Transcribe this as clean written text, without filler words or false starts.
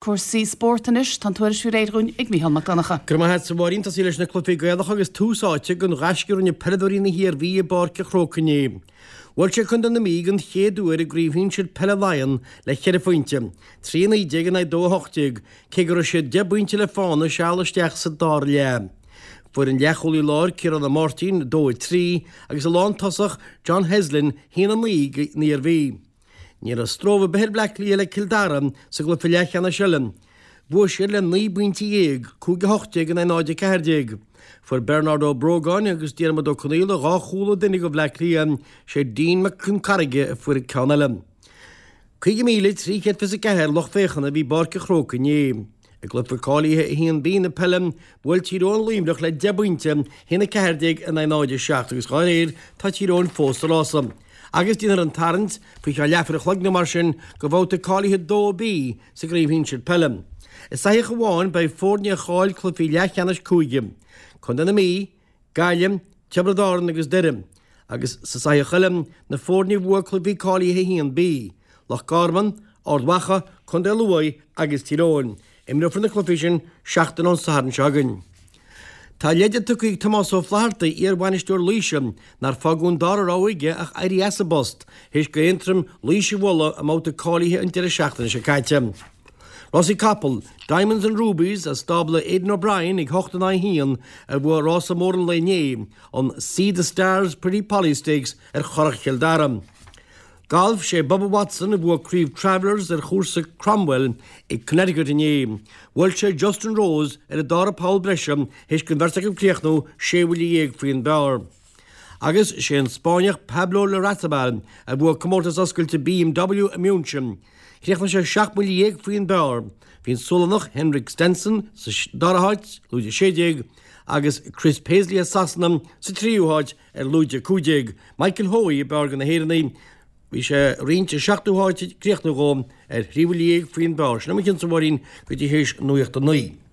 Cúrsaí spóirt anois, tá an tuairisc faoi réir dhúinn ag Mícheál Mac Donncha. Go raibh maith agat a Mháirín. Tosaí leis na cluichí Gaelacha agus tús áite don ghaisce a rinne peileadóirí na hIarmhí i bPáirc an Chrócaigh inné. Bhuail siad Contae na Mí den chéad uair i gCraobh Shinsir Peile Laighean le cheithre phointe, 3 19 in aghaidh 2 18, cé go raibh siad deich bpointe le fána seal isteach sa dara leath. Fuair an leathchúlaí láir Ciarán Ó Máirtín 2 3 agus an lántosach John Heslin 1 9 don Iarmhí. Ní raibh stró ar bith ar Bhleá Cliath le Cill Dara sa gcluiche leathcheannais eile. Bhuaigh siad le 19 bpointe, 5 18 in aghaidh 0 14. Fuair Bernard Ó Brógáin agus Diarmuid Ó Conaola dhá chúl an duine do Bhleá Cliath, sé Dean Mac Con Carraige a fuair an ceann eile. 50,324 lucht féachana a bhí i bPáirc an Chrócaigh inné. I gcluiche cáilithe 1B na peile, bhuail Tír Eoghain Luimneach le 10 bpointe, 1 14 in aghaidh 0 7 agus dá réir tá Tír Eoghain fós sa rása. Agus déanfar an tarraingt, faoi cheann leathuair a chloig nó mar sin, do bhabhta cáilithe 2B sa gCraobh Shinsir Peile. I soitheach amháin beidh foirne a chaill cluichí leathcheannais cúige, Contae na Mí, Gaillimh, Tiobraid Árann agus Doire, agus sa soitheach eile, na foirne a bhuaigh cluichí cáilithe 1B, Loch Garman, Ard Mhacha, Contae Lú agus Tír Eoghain. Imreofar na cluichí sin seachtain ón Satharn seo chugainn. Tá leide tugtha ag Tomás Ó Flatharta, iar-bhainisteoir Laoise, nár fágadh an dara rogha aige ach éirí as an bpost, théis d'Aontroim Laois a bhualadh i mbabhta cáilithe an deireadh seachtaine seo caite. Rásaí capall, Diamonds and Rubies as stábla Aidan O'Brien ag 8 in aghaidh 1 a bhuaigh rása mór an lae inné, an Sea The Stars Pretty Polly Stakes ar Churrach Chill Dara. Galf, Sé Bubba Watson a bhuaigh Craobh Travelers ar chúrsa Cromwell i Connecticut inné. Bhuail sé Justin Rose ar an dara poll breise théis don bheirt acu críochnú sé bhuille dhéag faoin bpar. Agus sé an Spáinneach Pablo Larrazabal a bhuaigh comórtas oscailte BMW i München. Chríochnaigh sé 17 mbuille faoin bpar. Bhí an Sualannach Henrik Stenson sa dara háit, lúide 16, agus Chris Paisley as Sasana sa tríú háit ar lúide 15. Michael Hoey ab fhearr de na hÉireannaigh, bhí sé ag roinnt an seachtú háit ag críochnú dhó ar thrí bhuille dhéag faoin bpar. Sin é mo chionn-sa a Mháirín go dtí théis nuacht a 9.